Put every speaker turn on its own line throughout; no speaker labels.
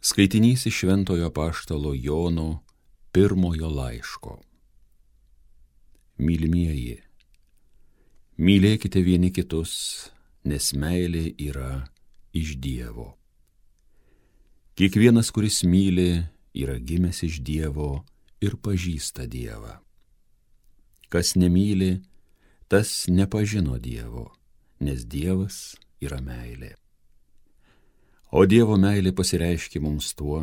Skaitinys iš Šventojo apaštalo Jono pirmojo laiško. Mylimieji, mylėkite vieni kitus, nes meilė yra iš Dievo. Kiekvienas, kuris myli, yra gimęs iš Dievo ir pažįsta Dievą. Kas nemyli, tas nepažino Dievo, nes Dievas yra meilė. O Dievo meilė pasireiškė mums tuo,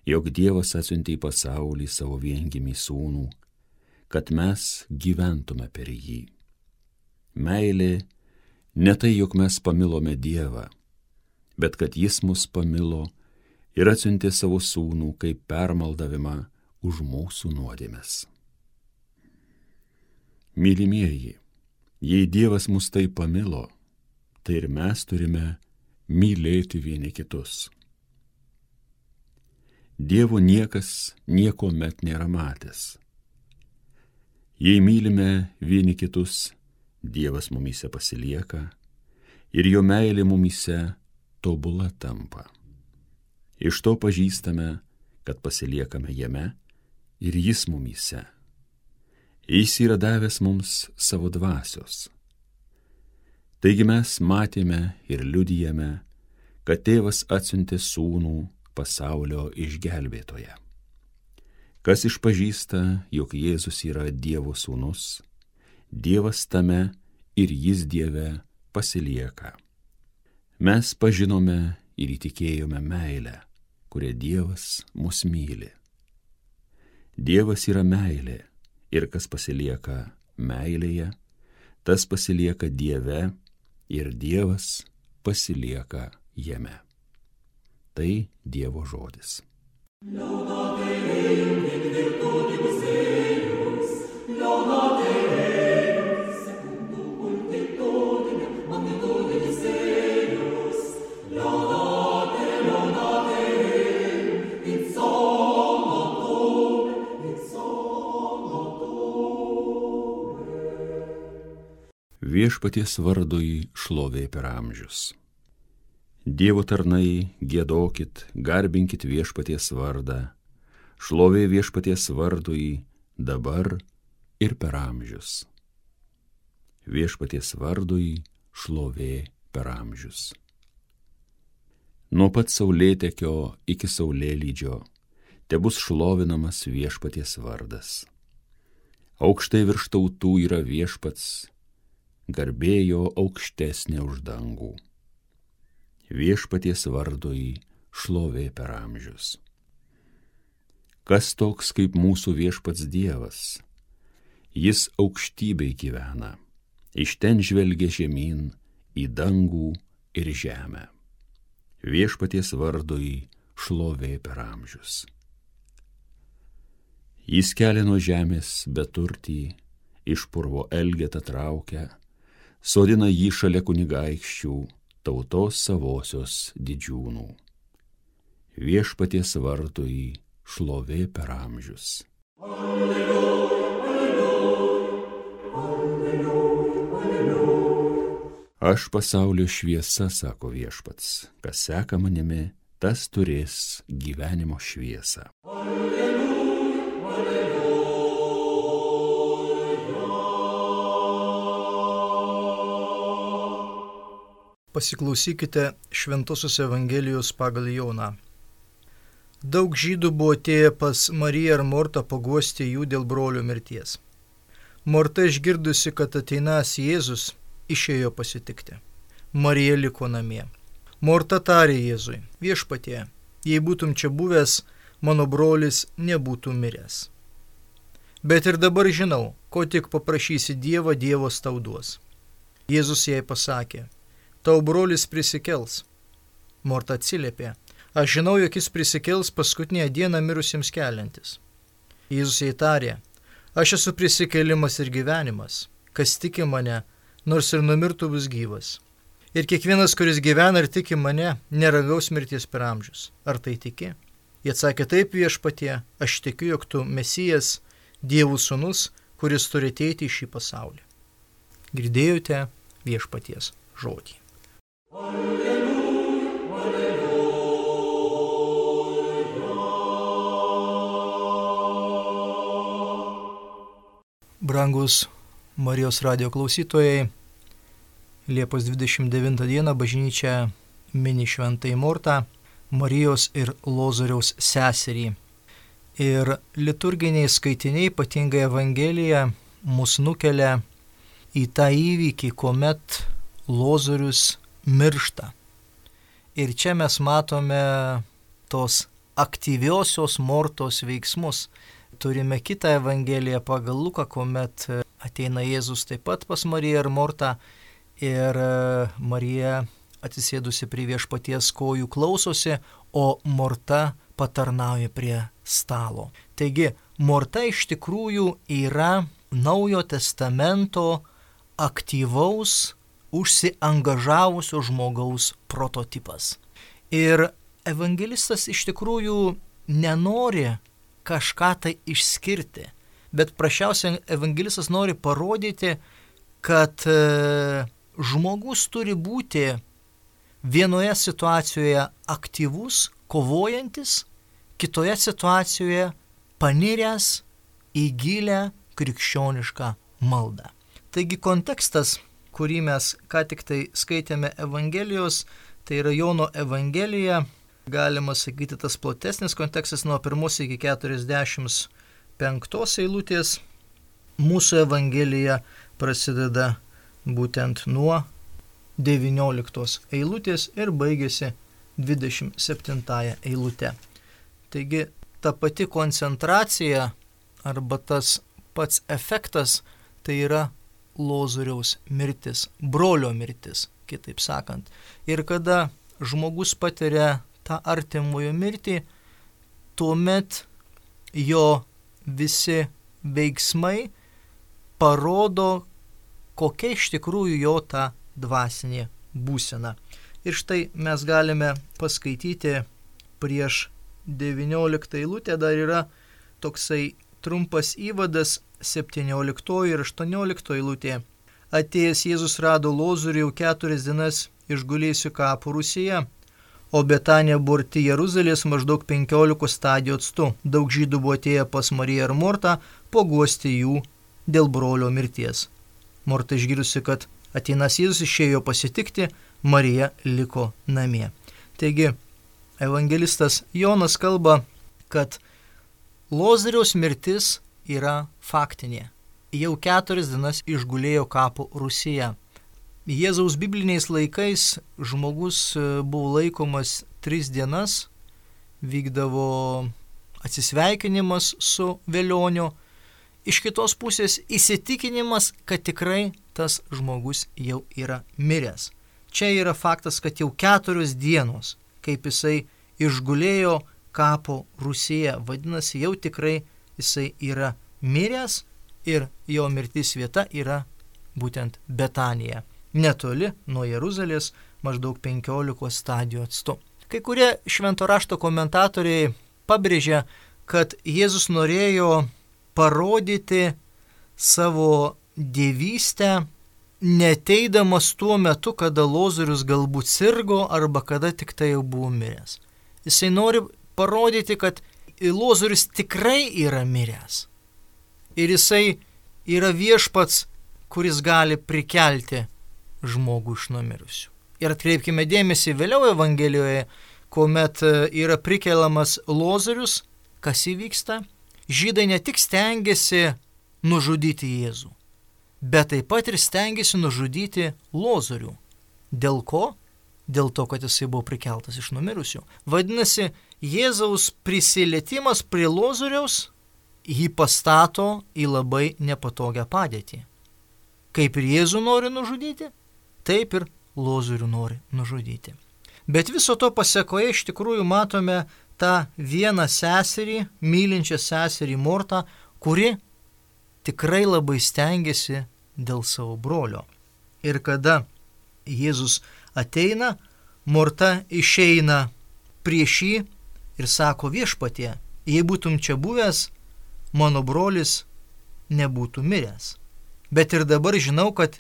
jog Dievas atsiuntė į pasaulį savo viengimį sūnų, kad mes gyventume per jį. Meilė ne tai, jog mes pamilome Dievą, bet kad jis mus pamilo ir atsiuntė savo sūnų kaip permaldavimą už mūsų nuodėmes. Mylimieji, jei Dievas mus taip pamilo, tai ir mes turime mylėti vieni kitus. Dievo niekas niekuomet nėra matęs. Jei mylime vieni kitus, Dievas mumyse pasilieka ir jo meilė mumyse tobula tampa. Iš to pažįstame, kad pasiliekame jame ir jis mumyse. Jis yra davęs mums savo dvasios. Taigi mes matėme ir liudijame, kad Tėvas atsiuntė sūnų pasaulio išgelbėtoją. Kas išpažįsta, jog Jėzus yra Dievo sūnus, Dievas tame ir jis Dieve pasilieka. Mes pažinome ir įtikėjome meilę, kuria Dievas mus myli. Dievas yra meilė ir kas pasilieka meilėje, tas pasilieka Dieve ir Dievas pasilieka jame. Tai Dievo žodis. Viešpaties vardui šlovė per amžius. Dievo tarnai, giedokit, garbinkit viešpaties vardą, šlovė viešpaties vardui dabar ir per amžius. Viešpaties vardui šlovė per amžius. Nuo pat saulėtekio iki saulėlydžio tebus šlovinamas viešpaties vardas. Aukštai virš tautų yra viešpats, garbėjo aukštesnė už dangų. Viešpaties vardui šlovė per amžius. Kas toks kaip mūsų viešpats Dievas? Jis aukštybėj gyvena, iš ten žvelgia žemyn į dangų ir žemę. Viešpaties vardui šlovė per amžius. Jis kelia nuo žemės beturtį, iš purvo elgetą traukia, sodina jį šalia kunigaikščių, tautos savosios didžiūnų. Viešpaties vardui šlovė per amžius. Alleluja, alleluja, alleluja, alleluja. Aš pasaulio šviesa, sako viešpats, kas seka manimi, tas turės gyvenimo šviesą. Alleluja, alleluja.
Pasiklausykite Šventosios Evangelijos pagal Joną. Daug žydų buvo atėję pas Mariją ir Mortą paguosti jų dėl brolio mirties. Morta išgirdusi, kad ateinas Jėzus, išėjo pasitikti. Marija liko namie. Morta tarė Jėzui: Viešpatie, jei būtum čia buvęs, mano brolis nebūtų miręs. Bet ir dabar žinau, ko tik paprašysi Dievą, Dievas tau duos. Jėzus jai pasakė: Tau brolis prisikels. Morta atsiliepė: Aš žinau, jog jis prisikels paskutinę dieną mirusiems keliantis. Jėzus jai tarė: Aš esu prisikėlimas ir gyvenimas. Kas tiki mane, nors ir numirtų, bus gyvas. Ir kiekvienas, kuris gyvena ir tiki mane, neragaus mirties per amžius. Ar tai tiki? Jie atsakė: Taip, Viešpatie, aš tikiu, jog tu Mesijas, Dievo sūnus, kuris turi ateiti į šį pasaulį. Girdėjote Viešpaties žodį. Alleluja, alleluja. Brangus Marijos radijo klausytojai, Liepos 29 dieną bažnyčia mini Šventąją Mortą, Marijos ir Lozoriaus seserį. Ir liturginiai skaitiniai, ypatingai Evangelija, mus nukelia į tą įvykį, kuomet Lozorius miršta. Ir čia mes matome tos aktyviosios Mortos veiksmus. Turime kitą Evangeliją pagal Luką, kuomet ateina Jėzus taip pat pas Mariją ir Mortą ir Marija atsisėdusi prie Viešpaties kojų klausosi, o Morta patarnauja prie stalo. Taigi, Morta iš tikrųjų yra Naujojo Testamento aktyvaus, užsiangažavusio žmogaus prototipas. Ir evangelistas iš tikrųjų nenori kažką tai išskirti, bet prašiausiai evangelistas nori parodyti, kad žmogus turi būti vienoje situacijoje aktyvus, kovojantis, kitoje situacijoje paniręs į gilę krikščionišką maldą. Taigi kontekstas, kurį mes ką tik tai skaitėme Evangelijos, tai yra Jono Evangelija, galima sakyti tas platesnis kontekstas nuo 1 iki 45 eilutės. Mūsų Evangelija prasideda būtent nuo 19 eilutės ir baigėsi 27 eilute. Taigi ta pati koncentracija arba tas pats efektas tai yra Lozoriaus mirtis, brolio mirtis, kitaip sakant. Ir kada žmogus patiria tą artimojo mirtį, tuomet jo visi veiksmai parodo, kokia iš tikrųjų jo ta dvasinė būsena. Ir štai mes galime paskaityti prieš 19 eilutę, dar yra toksai trumpas įvadas 17 ir 18 eilutė. Atėjęs Jėzus rado Lozorių jau 4 dienas išgulėjusių kapų rūsyje, o Betanija buvo arti Jeruzalės maždaug 15 stadijų atstu. Daug žydų buvo atėję pas Mariją ir Mortą paguosti jų dėl brolio mirties. Morta išgirdusi, kad ateinas Jėzus, išėjo pasitikti, Marija liko namie. Taigi, evangelistas Jonas kalba, kad Lozoriaus mirtis yra faktinė. Jau 4 dienas išgulėjo kapų rūsyje. Jėzaus bibliniais laikais žmogus buvo laikomas 3 dienas, vykdavo atsisveikinimas su velioniu, iš kitos pusės įsitikinimas, kad tikrai tas žmogus jau yra miręs. Čia yra faktas, kad jau 4 dienos, kaip jisai išgulėjo kapo rūsyje, vadinasi, jau tikrai jisai yra miręs ir jo mirtis vieta yra būtent Betanija, netoli nuo Jeruzalės, maždaug 15 stadijų atstu. Kai kurie švento rašto komentatoriai pabrėžia, kad Jėzus norėjo parodyti savo dievystę, neteidamas tuo metu, kada Lozorius galbūt sirgo arba kada tik tai jau buvo miręs. Jisai nori parodyti, kad Lozorius tikrai yra miręs. Ir jisai yra viešpats, kuris gali prikelti žmogų iš numirusių. Ir atkreipkime dėmesį vėliau Evangelijoje, kuomet yra prikeliamas Lozorius, kas įvyksta. Žydai ne tik stengiasi nužudyti Jėzų, bet taip pat ir stengiasi nužudyti Lozorių. Dėl ko? Dėl to, kad jisai buvo prikeltas iš numirusių. Vadinasi, Jėzaus prisilietimas prie Lozoriaus jį pastato į labai nepatogią padėtį. Kaip ir Jėzų nori nužudyti, taip ir Lozorių nori nužudyti. Bet viso to pasekoje iš tikrųjų matome tą vieną seserį, mylinčią seserį Mortą, kuri tikrai labai stengiasi dėl savo brolio. Ir kada Jėzus ateina, Morta išeina prieš jį ir sako: Viešpatie, jei būtum čia buvęs, mano brolis nebūtų miręs. Bet ir dabar žinau, kad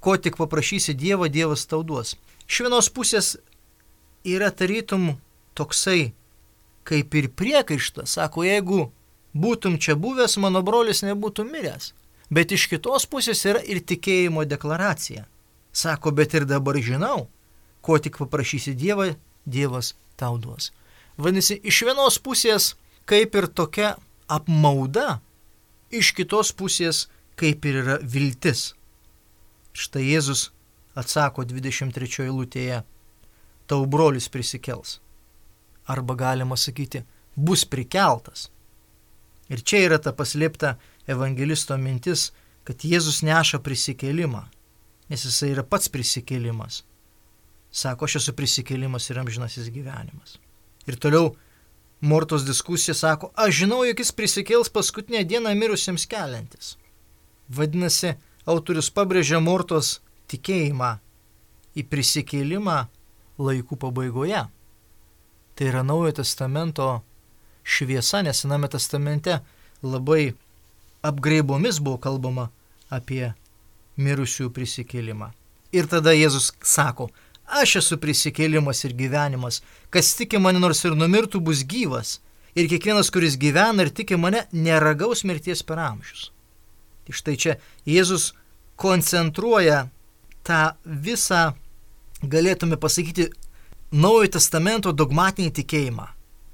ko tik paprašysi Dievą, Dievas tau duos. Iš vienos pusės yra tarytum toksai kaip ir priekaištas. Sako, jeigu būtum čia buvęs, mano brolis nebūtų miręs. Bet iš kitos pusės yra ir tikėjimo deklaracija. Sako, bet ir dabar žinau, ko tik paprašysi Dievą, Dievas tau duos. Vadinasi, iš vienos pusės kaip ir tokia apmauda, iš kitos pusės kaip ir yra viltis. Štai Jėzus atsako 23 eilutėje, tau brolis prisikels. Arba galima sakyti, bus prikeltas. Ir čia yra ta paslėpta evangelisto mintis, kad Jėzus neša prisikėlimą, nes jisai yra pats prisikėlimas. Sako, aš esu prisikėlimas ir amžinasis gyvenimas. Ir toliau Mortos diskusija sako, aš žinau, jog jis prisikėls paskutinę dieną mirusiems keliantis. Vadinasi, autorius pabrėžia Mortos tikėjimą į prisikėlimą laikų pabaigoje. Tai yra Naujojo testamento šviesa, nes Sename testamente labai apgraibomis buvo kalbama apie mirusiųjų prisikėlimą. Ir tada Jėzus sako, aš esu prisikėlimas ir gyvenimas, kas tiki mane nors ir numirtų bus gyvas, ir kiekvienas, kuris gyvena ir tiki mane, neragaus mirties per amžius. Tai štai čia Jėzus koncentruoja tą visą, galėtume pasakyti, Naujojo testamento dogmatinį tikėjimą.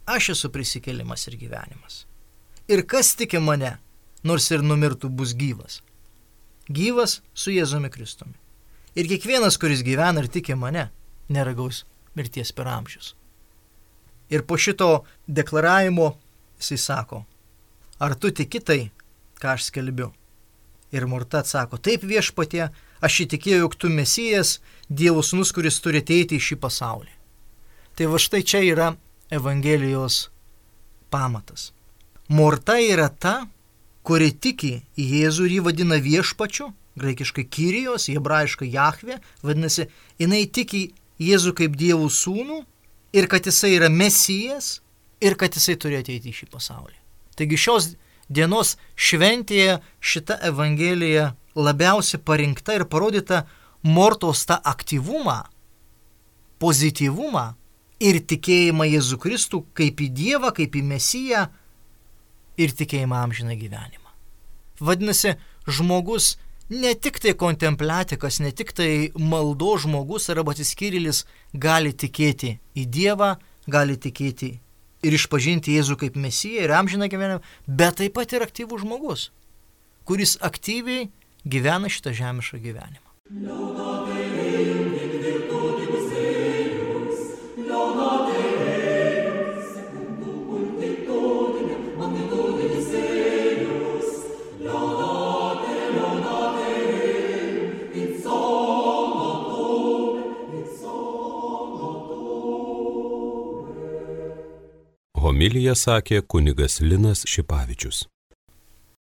Aš esu prisikėlimas ir gyvenimas. Ir kas tiki mane, nors ir numirtų bus gyvas. Gyvas su Jėzumi Kristumi. Ir kiekvienas, kuris gyvena ir tiki mane, neragaus mirties per amžius. Ir po šito deklaravimo jisai sako, ar tu tiki tai, ką aš skelbiu? Ir Morta atsako, taip viešpatie, aš įtikėjau, jog tu Mesijas, Dievo sūnus, kuris turi ateiti į šį pasaulį. Tai va štai čia yra Evangelijos pamatas. Morta yra ta, kuri tiki į Jėzų ir jį vadina viešpačiu, graikiškai Kyrijos, hebrajiškai Jahvė, vadinasi, jinai tiki Jėzų kaip Dievo sūnų ir kad jisai yra Mesijas ir kad jisai turi ateiti į šį pasaulį. Taigi šios dienos šventėje šita Evangelija labiausiai parinkta ir parodyta Mortos tą aktyvumą, pozityvumą ir tikėjimą Jėzų Kristų kaip į Dievą, kaip į Mesiją ir tikėjimą amžiną gyvenimą. Vadinasi, žmogus ne tik tai kontempliatikas, ne tik tai maldo žmogus arba atsiskyrėlis gali tikėti į Dievą, gali tikėti ir išpažinti Jėzų kaip Mesiją ir amžiną gyvenimą, bet taip pat ir aktyvus žmogus, kuris aktyviai gyvena šitą žemišką gyvenimą.
Homiliją sakė kunigas Linas Šipavičius.